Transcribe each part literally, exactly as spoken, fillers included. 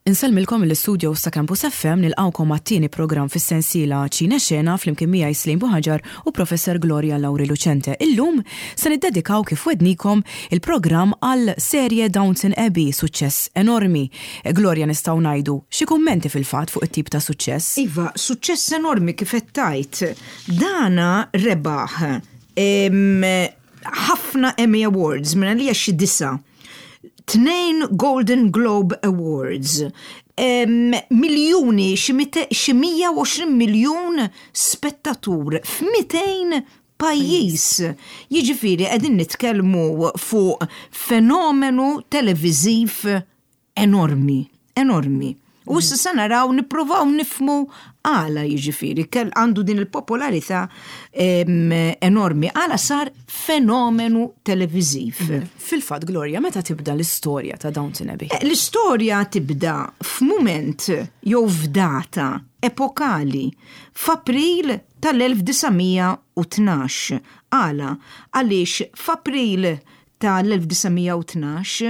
Insellmilkom mill-istudio ta' Campus F M, nilqgħukom għat-tieni programm fis-sensiela Ċine Xena flimkien miegħi Slim Buħaġar u Professor Gloria Lauri Lucente. Illum se niddedikaw, kif wegħednikom, il-programm għal serje Downton Abbey, suċċess enormi. Gloria, nistgħu ngħidu xi kummenti fil-fatt fuq it-tip ta' suċċess? Iva, suċċess enormi kif qed tgħid. Dana rebaħ ħafna Emmy Awards, minn għalija xi disa'. Tnejn Golden Globe Awards, em, miljuni, xi mija u għoxrin miljun spettatur f'mitejn pajjiż. Jiġifieri qegħdin nitkellmu fuq fenomenu televiżiv enormi, enormi. U issa se naraw, nippruvaw nifhmu għala, jiġifieri kell għandu din il-popolarità enormi, għala sar fenomenu televiżiv. Fil-fatt, Gloria, meta tibda l-istorja ta' Downton Abbey? Eh, L-istorja tibda f'mument jew f'data epokali, f'April tal-elf disa' mija u tnax. Għala? Għaliex f'April tal-elf disa' mija u tnax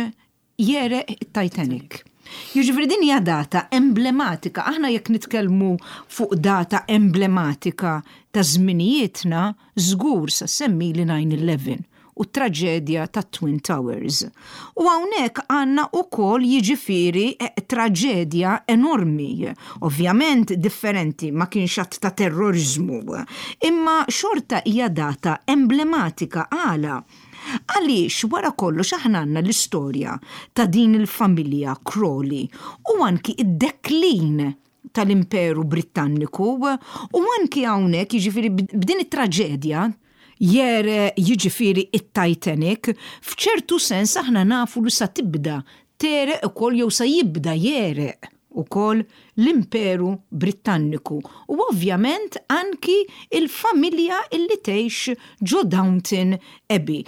jegħreq Titanic. Jiġifieri din hija data emblematika. Aħna jekk nitkellmu fuq data emblematika ta' żminijietna, żgur sa semmi li nine eleven u traġedja ta' Twin Towers. U hawnhekk għandna ukoll, jiġifieri, eh, traġedja enormi. Ovvjament differenti, ma kienx att ta' terrorizmu, imma xorta hija data emblematika. Għala? Għaliex wara kollox aħna għandna l-istorja ta' din il-familja Crawley u anki id-deklin tal-Imperu Britanniku u anki hawnhekk, jiġifieri, b'din it-traġedja jegħreq, jiġifieri, it-Titanic, f'ċertu sens aħna nafu li sa tibda tegħreq ukoll jew sa jibda jegħreq ukoll l-Imperu Britanniku u ovvjament anki il-familja illi tgħix ġo Downton Abbey.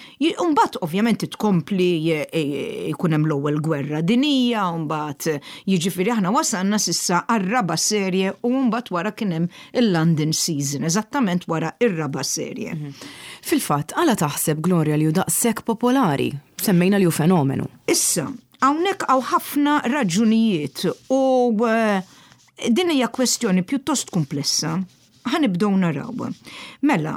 Umbagħad ovvjament tkompli, jkun hemm l-ewwel gwerra dinija, mbagħad, jiġifieri, aħna wasalna s'issa għar-raba' serje u mbagħad wara kien hemm il-London season, eżattament wara ir-raba' serje. Mhm. Fil-fatt, għala taħseb, Gloria, li hu daqshekk popolari? Semmejna li hu fenomenu. Issa, hawnhekk hawn ħafna raġunijiet u eh, din hija kwestjoni pjuttost komplessa. Ħa nibdew naraw. Mela,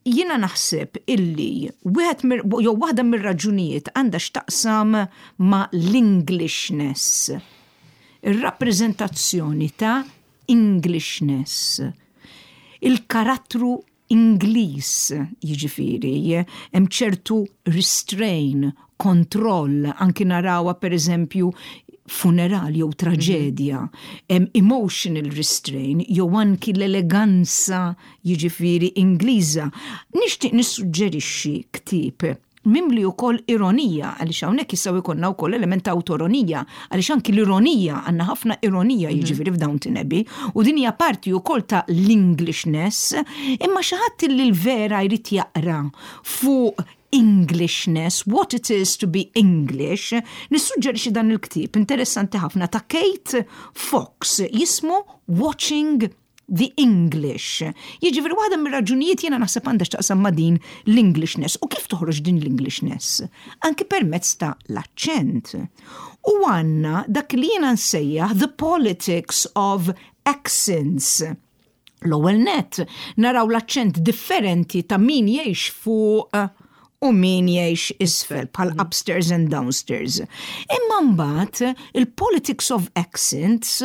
jiena naħseb illi wieħed jew waħda mir-raġunijiet għandha x'taqsam ma' l-Englishness. Ir-rappreżentazzjoni ta' Englishness. Il-karattru Ingliż, jiġifieri, hemm ċertu restrain, kontroll, anki narawha per eżempju funeral jew traġedja, hemm emotional restrain jew anki l-eleganza, jiġifieri, Ingliża. Nixtieq nissuġġerixxi ktieb mimli wkoll ironija, għaliex hawnhekk jistgħu jkollna wkoll element ta' awtoironija, għaliex anki l-ironija, għandna ħafna ironija, mhm. jiġifieri, f'Downton Abbey, u din hija parti wkoll ta' l-Englishness, imma xi ħadd li l-vera jrid jaqra fuq Englishness, what it is to be English, nissuġġerixxi dan il-ktieb interessanti ħafna ta' Kate Fox jismu Watching the English. Jiġifieri waħda mir-raġunijiet jiena naħseb għandha x'taqsam ma' din l-Englishness. U kif toħroġ din l-Englishness? Anki permezz ta' l-aċċent. U għandna dak li jiena nsejjaħ the politics of accents. L-ewwel net naraw l-aċċent differenti ta' min jgħix fuq u min jgħix isfel, bħal mm. upstairs and downstairs. Imma mbagħad il-politics of accents,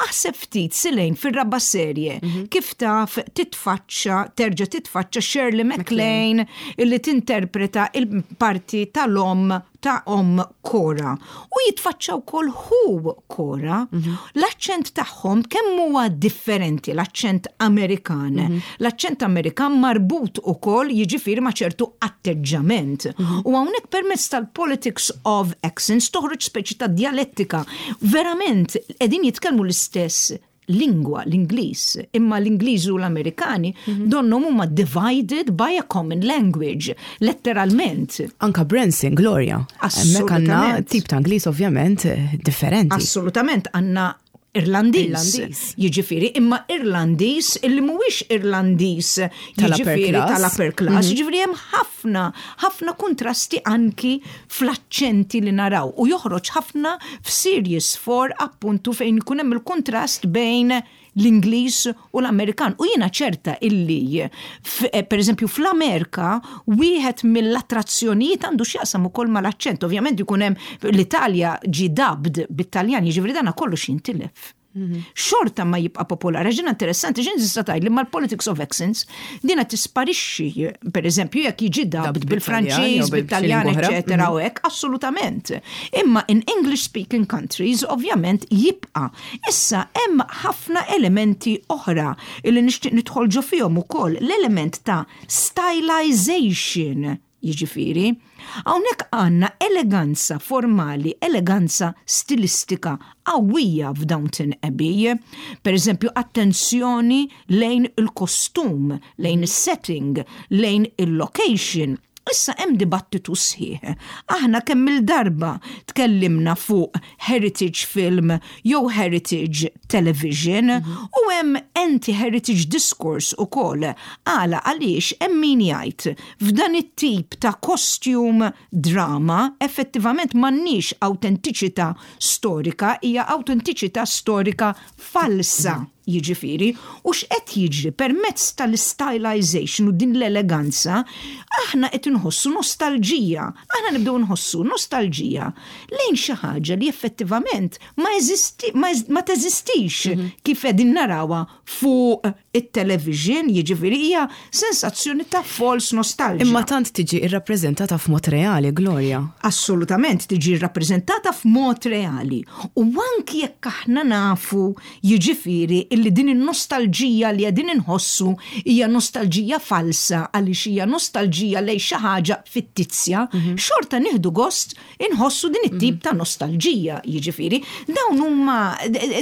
aħseb ftit silejn fir-raba' serje mhm. kif taf titfaċċa, terġa' titfaċċa Shirley MacLaine illi tinterpreta il-parti tal-om ta' om Cora. U jitfaċċa wkoll ħu Cora. Mhm. L-aċċent tagħhom kemm huwa differenti, l-aċċent Amerikan. Mhm. L-aċċent Amerikan marbut ukoll, jiġifieri, ma' ċertu atteġġament. Mhm. U hawnhekk permezz tal-politics of accents toħroġ speċi ta' dialettika. Verament qegħdin jitkellmu l-istess lingwa, l-Ingliż, imma l-Ingliż u l-Amerikani mm -hmm. donnhom huma divided by a common language, letteralment. Anka Branson, Gloria. Hemmhekk għandna tip ta' Ingliż ovvjament differenti. Assolutament, għandna Irlandiż. Jiġifieri, imma Irlandiż illi mhuwiex Irlandiż jiġifieri tal-upper class. Mhm. Jiġifieri hemm ħafna, ħafna kontrasti anki fl-aċċenti li naraw u joħroġ ħafna f'Series four, appuntu, fejn ikun hemm il-kontrast bejn l-Ingliż u l-Amerikan. U jiena ċerta illi, eh, per eżempju, fl-Amerika, wieħed mill-attrazzjonijiet għandu x'jaqsam ukoll mal-aċċent. Ovvjament ikun hemm l-Italja ġi dubbed bit-Taljan, jiġifieri dana kollox jintilef. Xorta ma jibqa popolari. Ġina interessanti, ġin tista' tgħid li mal-politics of accents dina tisparixxi, per eżempju, jekk jiġi dubbed bil-Franċiż, bil-Taljan, eċetera, u hekk, assolutament. Imma in English speaking countries, ovvjament, jibqa'. Issa hemm ħafna elementi oħra illi nixtieq nidħol ġo fihom ukoll, l-element ta' stylization. Jiġifieri, hawnhekk għandna eleganza formali, eleganza stilistika qawwija f'Downton Abbey. Per eżempju, attenzjoni lejn il-kostum, lejn il-setting, lejn il-location. Issa hemm dibattitu sħiħ. Aħna kemm il-darba tkellimna fuq heritage film jew heritage television u hemm anti-heritage discourse ukoll. Għala? Għaliex hemm min jgħid f'dan it-tip ta' costume drama effettivament m'għandniex autentiċità storika, hija autentiċità storika falsa. Jiġifieri, u x'qed jiġri permezz tal-stylization u din l-eleganza, aħna qed inħossu nostalġija. Aħna nibdew nħossu nostalġija lejn xi ħaġa li effettivament ma eżisti, ma, ma teżistix mm -hmm. kif qegħdin narawha fuq it-television, jiġifieri hija sensazzjoni ta' false nostalgia. Imma tant tiġi irrappreżentata f'mod reali, Gloria. Assolutament tiġi rrappreżentata f'mod reali. U anki jekk aħna nafu, jiġifieri, illi din in-nostalġija li qegħdin inħossu hija nostalġija falsa għaliex hija nostalġija lejn xi ħaġa fittizja, mm -hmm. xorta nieħdu gost inħossu din it-tip mm -hmm. ta' nostalġija, jiġifieri. Dawn huma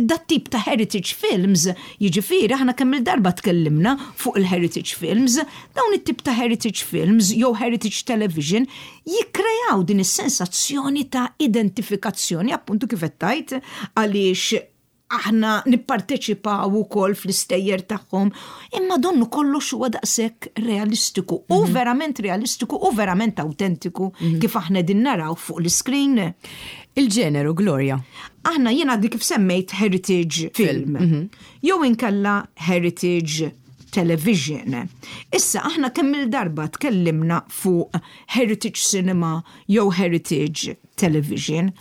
dat tip ta' heritage films, jiġifieri aħna kemm il-darba tkellimna fuq il-heritage films, dawn it-tip ta' heritage films jew heritage television jikkrejaw din is-sensazzjoni ta' identifikazzjoni, appuntu kif qed tgħid, għaliex aħna nipparteċipaw ukoll fl-istejjer tagħhom, imma donnu kollox huwa daqshekk realistiku u mm -hmm. verament realistiku u verament autentiku mm -hmm. kif aħna din naraw fuq l-screen. Il-ġeneru, Gloria. Aħna jiena dik kif semmejt heritage film. Mm -hmm. Jew inkella heritage television. Issa aħna kemm il-darba tkellimna fuq heritage cinema jew heritage television.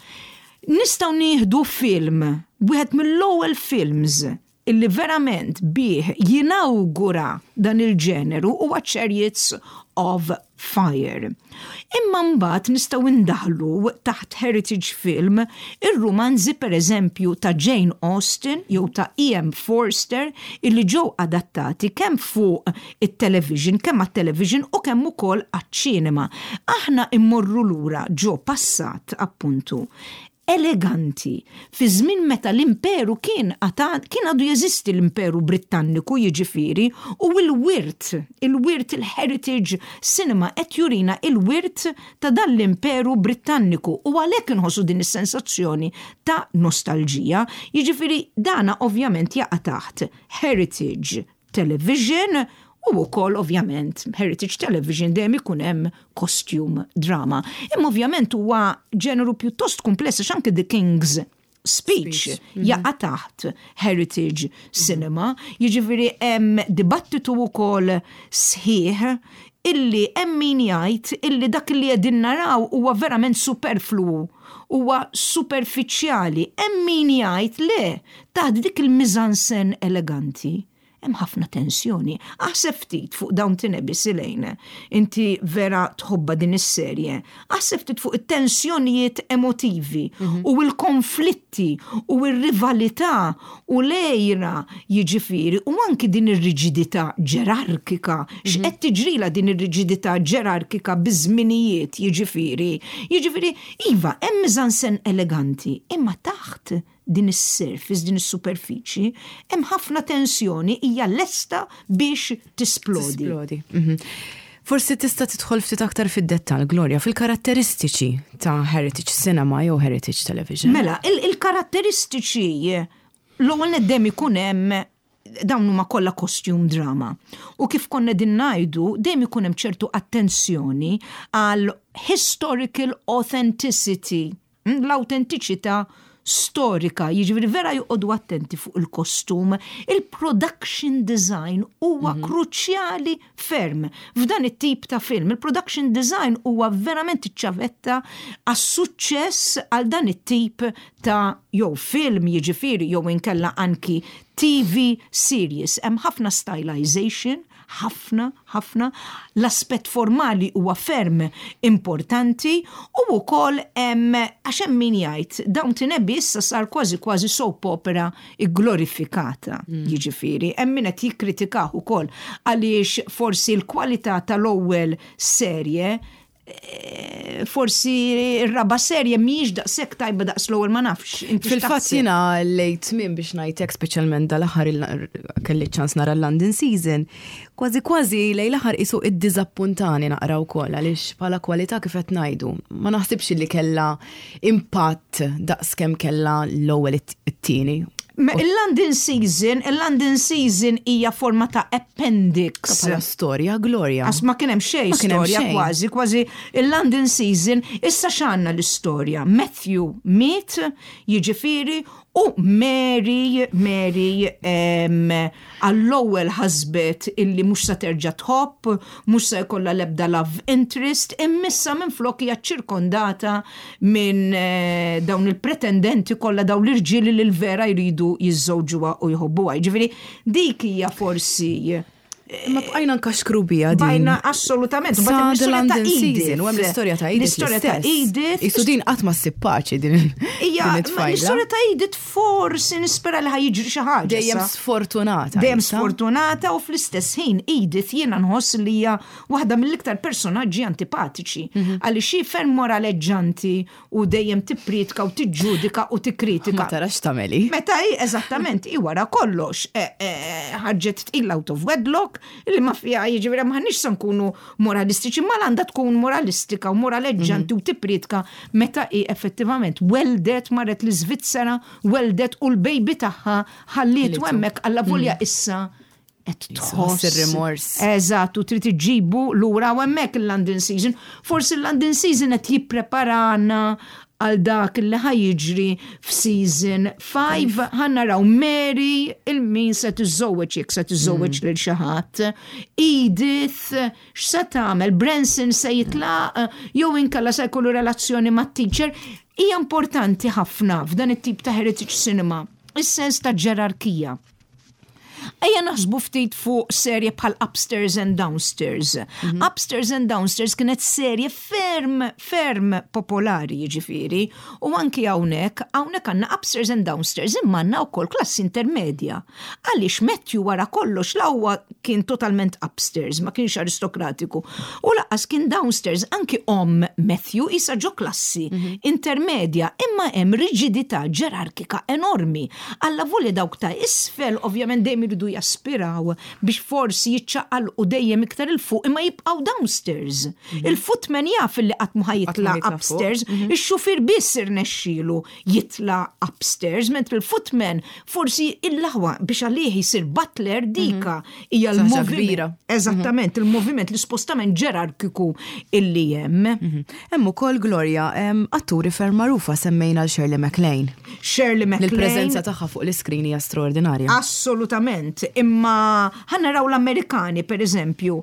Nistgħu nieħdu film, wieħed mill-ewwel films illi verament bih jinawgura dan il-ġeneru huwa Chariots of Fire. Imma mbagħad nistgħu ndaħlu taħt heritage film ir-rumanzi, per eżempju, ta' Jane Austen jew ta' E M. Forster illi ġew adattati kemm fuq it-television, kemm għat-television u kemm ukoll għaċ-ċinema. Aħna immorru lura ġo passat, appuntu, eleganti fi żmien meta l-imperu kien kien għadu jeżisti, l-Imperu Britanniku, jiġifieri, u l-wirt, il-wirt, il-heritage cinema qed jurina il-wirt ta' dan l-Imperu Britanniku u għalhekk inħossu din is-sensazzjoni ta' nostalġija. Jiġifieri dana ovvjament jaqa' taħt heritage television u wkoll ovvjament heritage television dejjem ikun hemm costume drama. Imma ovvjament huwa ġeneru pjuttost kompless għax anke The King's Speech, Speech. Mm -hmm. jaqa' taħt heritage cinema, jiġifieri hemm dibattitu wkoll sħiħ illi hemm min jgħid illi dak li qegħdin naraw huwa verament superflu, huwa superfiċjali, hemm min jgħid le, taħt dik il-mise-en-scène eleganti hemm ħafna tensjoni. Aħseb ftit fuq Downton Abbey, Silejn. Inti vera tħobba din is-serje. Aħseb ftit fuq it-tensjonijiet emotivi mhm. u l-konflitti u r-rivalità u l-għira, jiġifieri, u anki din ir-riġidità ġerarkika. Mhm. X'qed tiġrila din ir-riġidità ġerarkika biż-żminijiet, jiġifieri. Jiġifieri, iva, hemm mise-en-scène eleganti, imma taħt din is-surface, din is-superfiċi, hemm ħafna tensjoni hija lesta biex tisplodi. Tisplodi. Mhm. Forsi tista' tidħol ftit aktar fid-dettall, Gloria, fil-karatteristiċi ta' heritage cinema jew heritage television. Mela, il-karatteristiċi L-ewwel nett dejjem ikun hemm, dawn huma kollha costume drama. U kif konna din ngħidu, dejjem ikun hemm ċertu attenzjoni għal historical authenticity, mm, l-autentiċità storika, jiġifieri vera joqogħdu attenti fuq il-kostum, il-production design huwa mm -hmm. kruċjali ferm f'dan it-tip ta' film. Il-production design huwa verament iċ-ċavetta għas-suċċess għal dan it-tip ta' jew film, jiġifieri, jew inkella anki T V series. Hemm ħafna stylization, ħafna, ħafna. L-aspett formali huwa ferm importanti u wkoll hemm, għax hemm min jgħid Downton Abbey issa sar kważi kważi soap opera glorifikata, mm. jiġifieri. Hemm min qed jikkritikah ukoll għaliex forsi l-kwalità tal-ewwel serje eh, forsi r-raba serje mhijiex daqshekk tajba daqs l-ewwel, ma nafx. Fil-fatt jiena lejn tmiem, biex ngħidlek, speċjalment dal-aħħar kelli ċans nara London season, kważi kważi lejn l-aħħar isu iddiżappuntani naqra wkoll għaliex bħala kwalità, kif qed ngħidu, ma naħsibx li kellha impatt daqs kemm kellha l-ewwel, it-tieni. Il-London season, il-London season hija forma ta' appendix. Bħala storja, Gloria. Għax ma kien hemm xejn storja kważi, kważi il-London season, issa x'għandna l-istorja? Matthew miet, jiġifieri, u Mary, Mary għall-ewwel ħasbet illi mhux se terġa' tħobb, mhux se jkollha l-ebda love interest, imma issa minflok hija ċirkondata minn eh, dawn il-pretendenti kollha, dawn l-irġieli li l-vera jridu jiżżewġuha u jħobbuha. Ġifieri dik hija forsi Ma bqajna nkaxkru bija din. Bqajna assolutament. Sa the London season, u hemm l-istorja ta' Edith. L-istorja ta' Edith. Isu din qatt ma ssib paċi din it-tfajla. L-istorja ta' Edith forsi nispera li ħa jiġri xi ħaġa. Dejjem sfortunata. Dejjem sfortunata u fl-istess ħin Edith jiena nħoss li hija waħda mill-iktar personaġġi antipatiċi. Mhm. Għaliex hi ferm moraleġġanti u dejjem tippritka u tiġġudika u tikkritika. Ma tarax tagħmeli. Meta hi eżattament hi wara kollox eh, eh, ħarġet tqila out of wedlock li ma fija, jiġifieri m'aħniex se nkunu moralistiċi, ma għandha tkun moralistika u moraleġġanti u tippritka meta hi effettivament weldet, marret l-Iżvizzera, weldet u l-baby tagħha ħallitu hemmhekk alla volja issa qed tħoss ir-rimors. Eżatt, u trid iġibu lura u hemmhekk il-London season. Forsi il-London season qed jippreparana għal dak li ħa jiġri f'season five. Ħa naraw Mary lil min se tiżżewweġ, jekk se tiżżewweġ lil xi ħadd. Edith x'se tagħmel? Branson se jitlaq jew inkella se jkollu relazzjoni mat-teacher? Hija importanti ħafna f'dan it-tip ta' heritage cinema is-sens ta' ġerarkija. Ejja naħsbu ftit fuq serje bħal Upstairs and Downstairs. Mm -hmm. Upstairs and Downstairs kienet serje ferm, ferm popolari, jiġifieri. U anki hawnhekk, hawnhekk għandna Upstairs and Downstairs, imma għandna wkoll klassi intermedja. Għaliex Matthew wara kollox la huwa kien totalment upstairs, ma kienx aristokratiku. U lanqas kien downstairs, anki om Matthew isa ġo klassi mm -hmm. intermedja, imma hemm riġidità ġerarkika enormi. Alla volja dawk ta' isfel ovvjament dejjem iridu jaspiraw biex forsi jiċċaqalqu dejjem iktar 'il fuq imma jibqgħu downstairs. Mhm. Il-footman jaf li qatt ma jitla' upstairs, mhm. ix-xufier biss irnexxielu jitla' upstairs, mentri il-footman forsi il-laħwa biex għalih jisir butler dika mhm. hija l-moviment. Eżattament, il-moviment, l-ispostament ġerarkiku illi hemm. Hemm ukoll, Gloria, atturi ferm magħrufa, semmejna l-Shirley MacLaine. Shirley MacLaine. Il-preżenza tagħha fuq l-iskrin hija straordinarja. Assolutament, imma ħa naraw l-Amerikani, per eżempju,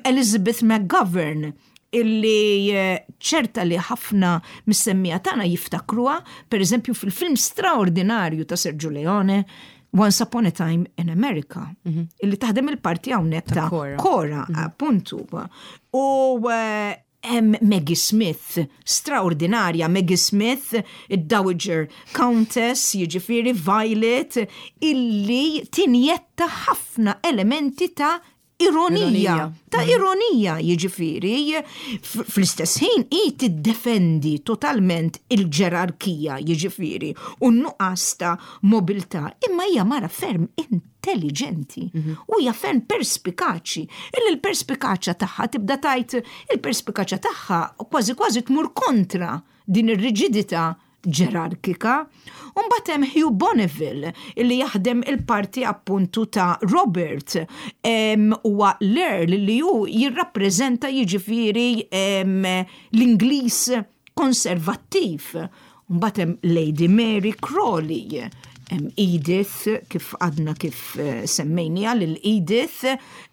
Elizabeth McGovern, illi eh, ċerta li ħafna mis-semmiegħa tagħna jiftakruha, per eżempju, fil-film straordinarju ta' Sergio Leone, Once Upon a Time in America, mm -hmm. illi taħdem il-parti hawnhekk ta' Cora, Cora mm -hmm. appuntu. U eh, hemm Maggie Smith, straordinarja Maggie Smith, id-Dowager Countess, jiġifieri Violet, illi tinjetta ħafna elementi ta' ironija, ironija. Ta' mm. ironija, jiġifieri, fl-istess ħin i tiddefendi totalment il-ġerarkija, jiġifieri, u nuqqas ta' mobilità, imma hija mara ferm intelligenti mhm. u hija ferm perspikaċi. Illi l-perspikaċja tagħha tibda tajt il-perspikaċja tagħha kważi kważi tmur kontra din ir-riġidità ġerarkika. Mbagħad hemm Hugh Bonneville illi jaħdem il-parti appuntu ta' Robert huwa l-Earl li hu jirrappreżenta jiġifieri l-Ingliż konservattiv. Mbagħad hemm Lady Mary Crawley, Edith, kif għadna kif eh, semmejnija lil Edith,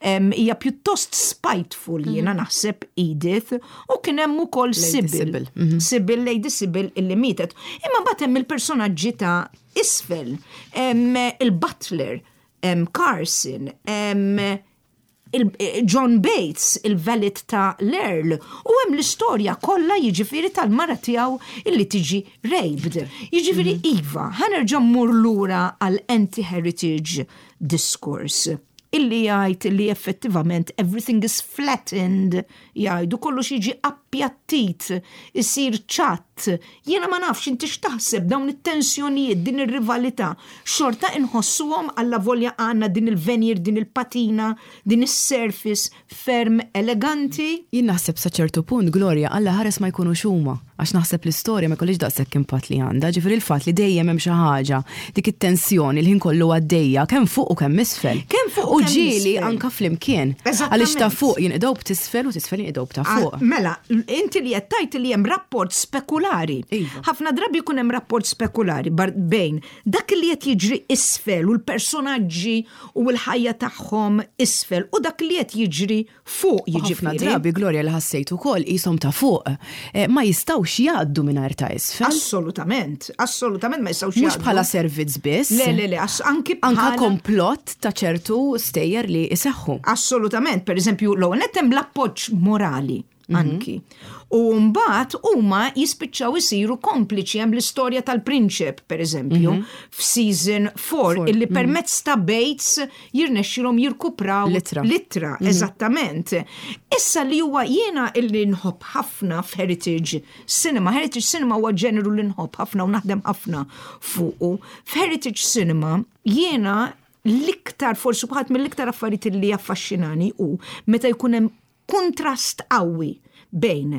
hija pjuttost spiteful jiena mhm. naħseb Edith, u kien hemm ukoll Sybil. Mhm. Sybil, Lady Sybil illi mietet. Imma mbagħad hemm il-personaġġi ta' isfel, il-Butler, Carson, Eh, John Bates, il-valet ta' l-Earl, u hemm l-istorja kollha jiġifieri tal-mara tiegħu illi tiġi raped. Jiġifieri mhm. iva, ħa nerġa' mmur lura għal anti-heritage discourse illi jgħid li effettivament everything is flattened, jgħidu kollox jiġi appjattit, isir ċatt. Jiena ma nafx inti x'taħseb dawn it-tensjonijiet, din ir-rivalità, xorta inħossuhom alla volja għandna din il-veneer, din il-patina, din is-surface ferm eleganti? Jien naħseb sa ċertu punt, Gloria, alla ħares ma jkunux huma, għax naħseb l-istorja ma jkollix daqshekk impatt li għandha, ġifieri il-fatt li dejjem hemm xi ħaġa, dik it-tensjoni li ħin kollu għaddejja, kemm fuq u kemm isfel. Kemm fuq u ġieli anka flimkien. Għaliex ta' fuq jinqdew b'tisfel u tisfel jinqdew ta' fuq. Mela, inti li qed tgħid li hemm rapport spekulari. Iva. Ħafna drabi jkun hemm rapport spekulari bejn dak li qed jiġri isfel u l-personaġġi u l-ħajja tagħhom isfel u dak li qed jiġri fuq ħafna jiġifieri. Drabi, Gloria, li ħassejt ukoll qishom ta' fuq eh, ma jistgħux jgħaddu mingħajr ta' isfel. Assolutament, assolutament ma jistgħux Mhux jgħaddu. Bħala servizz biss. Le, le, le, ass- anki Anka bħala komplott ta' ċertu stejjer li iseħħu. Assolutament, per eżempju, l-ewwel nett hemm l-appoġġ morali anki. U mbagħad huma jispiċċaw isiru kompliċi. Hemm l-istorja tal-prinċep, per eżempju, f'season four illi permezz ta' Bates jirnexxilhom jirkupraw L-ittra. L-ittra, eżattament. Issa li huwa jiena illi nħobb ħafna f'Heritage Cinema. Heritage Cinema huwa ġeneru li nħobb ħafna u naħdem ħafna fuqu. F'Heritage Cinema jiena l-iktar, forsi bħat mill-iktar affarijiet li jaffaxxinani u meta jkun hemm kontrast qawwi bejn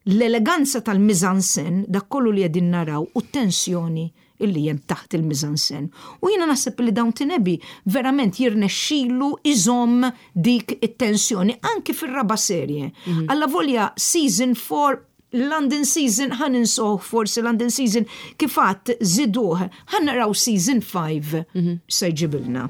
l-eleganza tal-mise-en-scène, dak kollu li qegħdin naraw, u t-tensjoni illi hemm taħt il-mise-en-scène. U jiena naħseb li Downton Abbey verament jirnexxilu iżomm dik it-tensjoni anki fir-raba serje. Alla volja season four, London season ħa ninsoh forsi London season kif għedt żiduh, ħa naraw season five se jġibilna.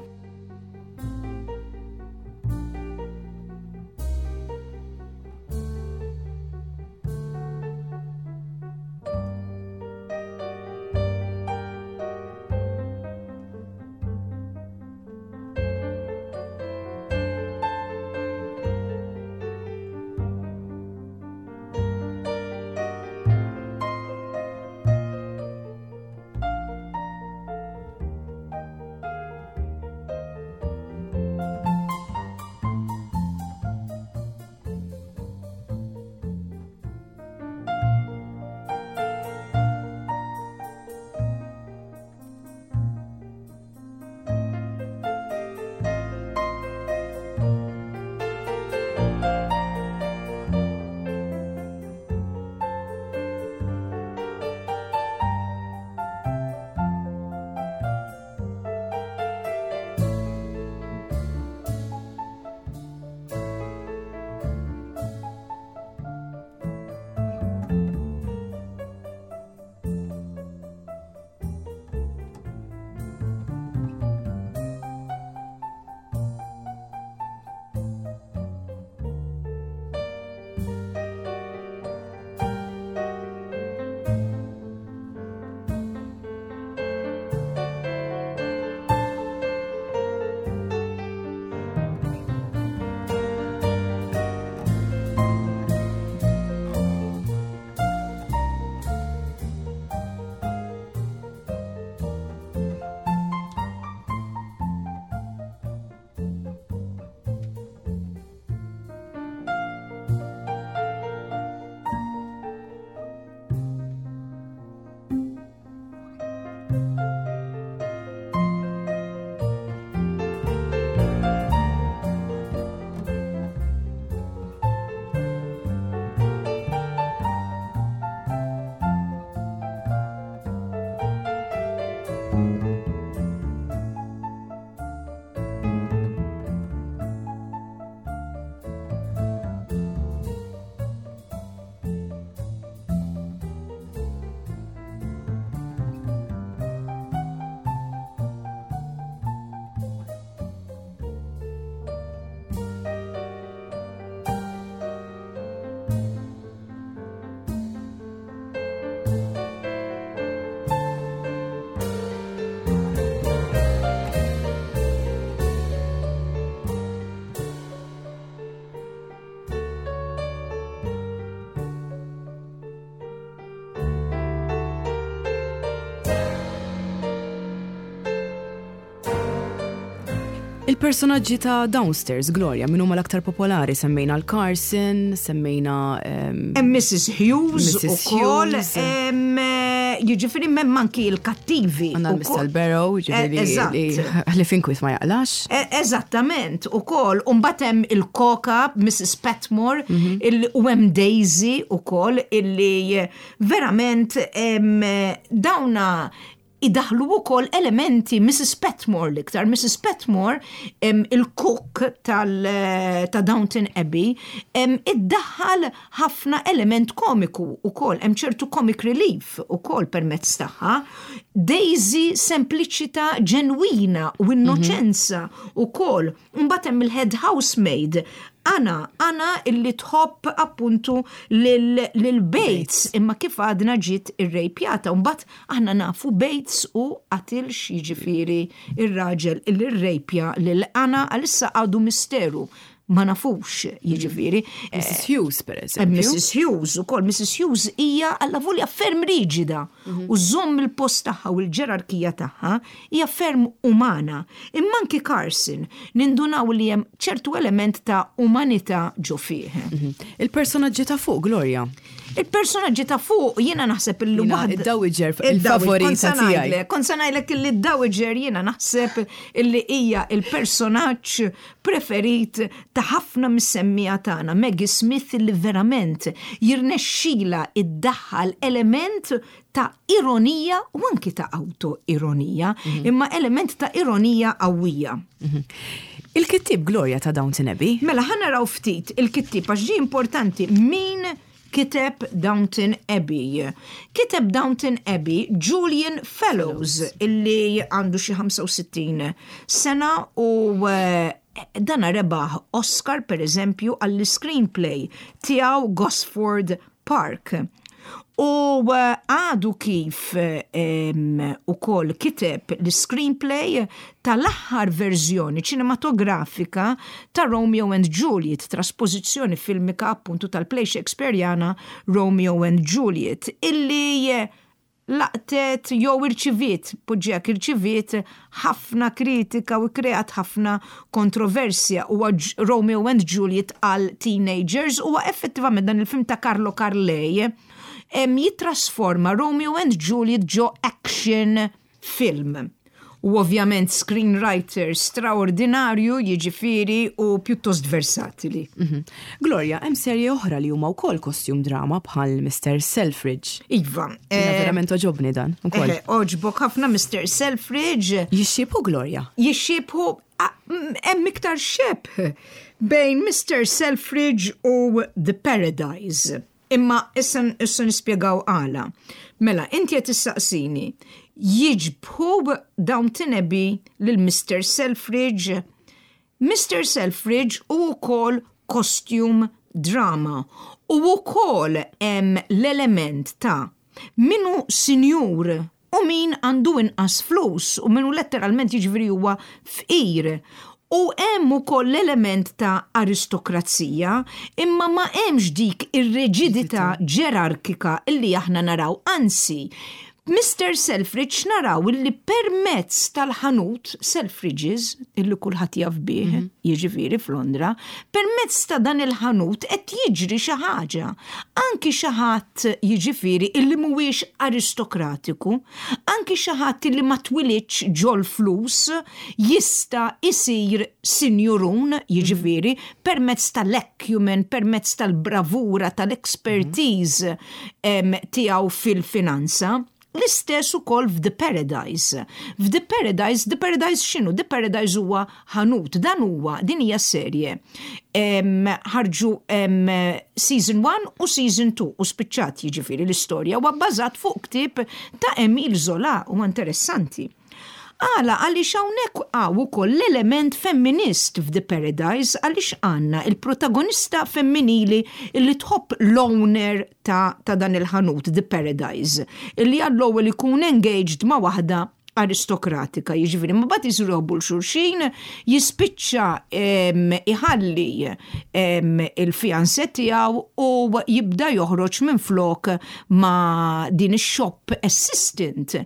Il-personaġġi ta' Downstairs, Gloria, min huma l-aktar popolari? Semmejna l-Carson, semmejna Hemm Missus Hughes ukoll, jiġifieri hemm anki l-kattivi. Għandna Mister Barrow, jiġifieri li f'inkwiet ma jaqlax. E, eżattament, ukoll, u mbagħad hemm il-Koka, Missus Patmore, mhm. u hemm Daisy ukoll, illi verament dawna idaħlu wkoll elementi. Missus Patmore l-iktar. Missus Patmore, il-cook ta' Downton Abbey, iddaħħal ħafna element komiku ukoll, hemm ċertu comic relief ukoll permezz tagħha. Daisy, sempliċità ġenwina u innoċenza ukoll. Mbagħad hemm il-head housemaid Anna, Anna illi tħobb appuntu lil Bates, imma kif għadna ġiet irrejpjata. Mbagħad aħna nafu Bates u qatilx, jiġifieri ir-raġel illi rrejpja lil Anna, għalissa għadu misteru, ma nafux, jiġifieri. Missus Hughes, per eżempju. Missus Hughes ukoll. Missus Hughes hija allavolja ferm riġida mhm. u żomm il-post tagħha u l-ġerarkija tagħha, hija ferm umana. Imma anki Carson nindunaw li hemm ċertu element ta' umanità ġo fih. Mhm. Il-personaġġi ta' fuq, Gloria. Il-personaġġi ta' fuq jiena naħseb illi waħda. Id-Dowager il-favorita tiegħi. Kont se ngħidlek illi d-Dowager jiena naħseb illi hija il-personaġġ preferit ta' ħafna mis-semmiegħa tagħna, Maggie Smith, illi verament jirnexxila iddaħħal element ta' ironija u anki ta' auto-ironija, mhm. imma element ta' ironija qawwija. Mhm. Il-kittib, Gloria, ta' Downton Abbey? Mela, ħa naraw ftit il-kittib, għax ġi importanti min kiteb Downton Abbey. Kiteb Downton Abbey Julian Fellowes, illi għandu xi ħamsa u sittin sena u eh, dana rebaħ Oscar, per eżempju, għall-screenplay tiegħu Gosford Park. U eh, għadu kif ukoll kiteb l-screenplay tal-aħħar verżjoni ċinematografika ta' Romeo and Juliet, trasposizzjoni filmika appuntu tal-play Shakespeareana Romeo and Juliet, illi laqtet jew irċiviet, poġġijak irċiviet ħafna kritika u kreat ħafna kontroversja, u Romeo and Juliet għal teenagers, u effettivament dan il-film ta' Carlo Carley jitrasforma Romeo and Juliet ġo action film. U ovvjament screenwriter straordinarju, jiġifieri, u pjuttost versatili. Mm -hmm. Gloria, hemm serje oħra li huma wkoll costume drama bħal Mister Selfridge. Iva. Eh, verament għoġobni dan ukoll. Eh, għoġbok ħafna Mister Selfridge. Jixxiebhu, Gloria? Jixxiebhu, hemm iktar xebh bejn Mister Selfridge u The Paradise. Imma issa issa nispjegaw għala. Mela, inti qed tissaqsini jixbhu Downton Abbey lil Mister Selfridge? Mister Selfridge u wkoll costume drama u wkoll hemm l-element ta' min hu sinjur u min għandu inqas flus u min hu letteralment, jiġifieri, huwa fqir. U hemm ukoll l-element ta' aristokrazija, imma ma hemmx dik ir-riġidità ġerarkika illi aħna naraw. Anzi, Mister Selfridge naraw illi permezz tal-ħanut Selfridges, illi kulħadd jaf bih, mm -hmm. jiġifieri f'Londra, permezz ta' dan il-ħanut qed jiġri xi ħaġa. Anki xi ħadd, jiġifieri, illi mhuwiex aristokratiku, anki xi ħadd illi ma twilidx ġol flus, jista' isir sinjurun, jiġifieri, permezz tal-acumen, permezz tal-bravura, tal-expertise tiegħu fil-finanza. L-istess ukoll f'The Paradise. F'The Paradise, The Paradise x'inhu? The Paradise huwa ħanut, dan huwa, din hija serje. Ħarġu season one u season two u spiċċat, jiġifieri, l-istorja, huwa bbażat fuq ktieb ta' Emile Zola u interessanti. Għala, għaliex hawnhekk hawn ukoll l-element femminist f'The Paradise, għaliex għandna il-protagonista femminili illi tħobb l-owner ta', ta dan il-ħanut The Paradise, illi għall-ewwel ikun engaged ma' waħda Aristokratika, jiġifieri, ma mbagħad isiru jħobbu 'l xulxin, jispiċċa iħalli il-fiancé tiegħu u jibda joħroġ minn flok ma' din ix-shop assistant.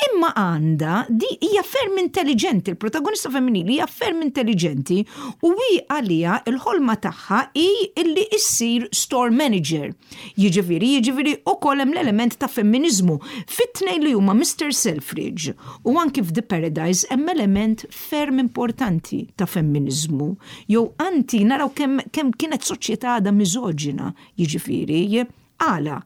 Imma għandha, di hija ferm intelligenti, il-protagonista femminili hija ferm intelligenti u hi għalija il-ħolma tagħha hi illi issir store manager. Jiġifieri, jiġifieri ukoll hemm l-element ta' femminizmu. Fit-tnejn li huma Mister Selfridge u anki f'The Paradise hemm element ferm importanti ta' femminizmu. Jew anti naraw kemm kem kienet soċjetà għadha miżoġina, jiġifieri, għala,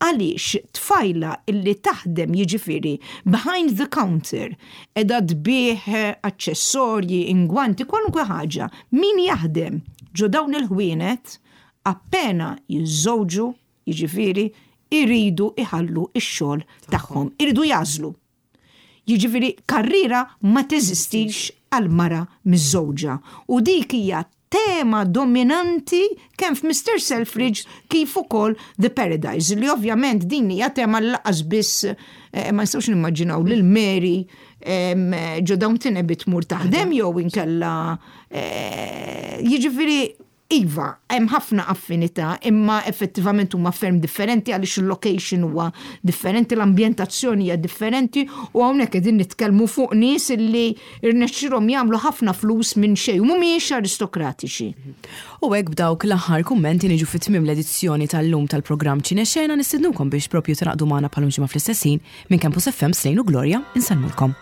għaliex tfajla illi taħdem, jiġifieri, behind the counter, edha tbigħ aċċessorji, ingwanti, kwalunkwe ħaġa, min jaħdem ġo dawn il-ħwienet, appena jiżżewġu, jiġifieri, iridu iħallu ix-xogħol tagħhom, iridu jagħżlu. Jiġifieri karriera ma teżistix għal mara miżżewġa. U dik hija tema dominanti kemm f'Mister Selfridge kif ukoll The Paradise, li ovvjament din hija tema li lanqas biss eh, ma nistgħux nimmaġinaw lil Mary ġo Downton Abbey tmur taħdem jew inkella eh, jiġifieri iva, hemm ħafna affinità, imma effettivament huma ferm differenti għaliex il-location huwa differenti, l-ambjentazzjoni hija differenti u hawnhekk qegħdin nitkellmu fuq nies illi rnexxilhom jagħmlu ħafna flus minn xejn u mhumiex aristokratiċi. U hekk b'dawk l-aħħar kummenti niġu fit tmiem l-edizzjoni tal-lum tal-programm Ċinexena. Nistednukom biex propju tingħaqdu magħna bħal ġimgħa fl-istess ħin. Minn Campus F M, Slejn u Gloria, insellmulkom.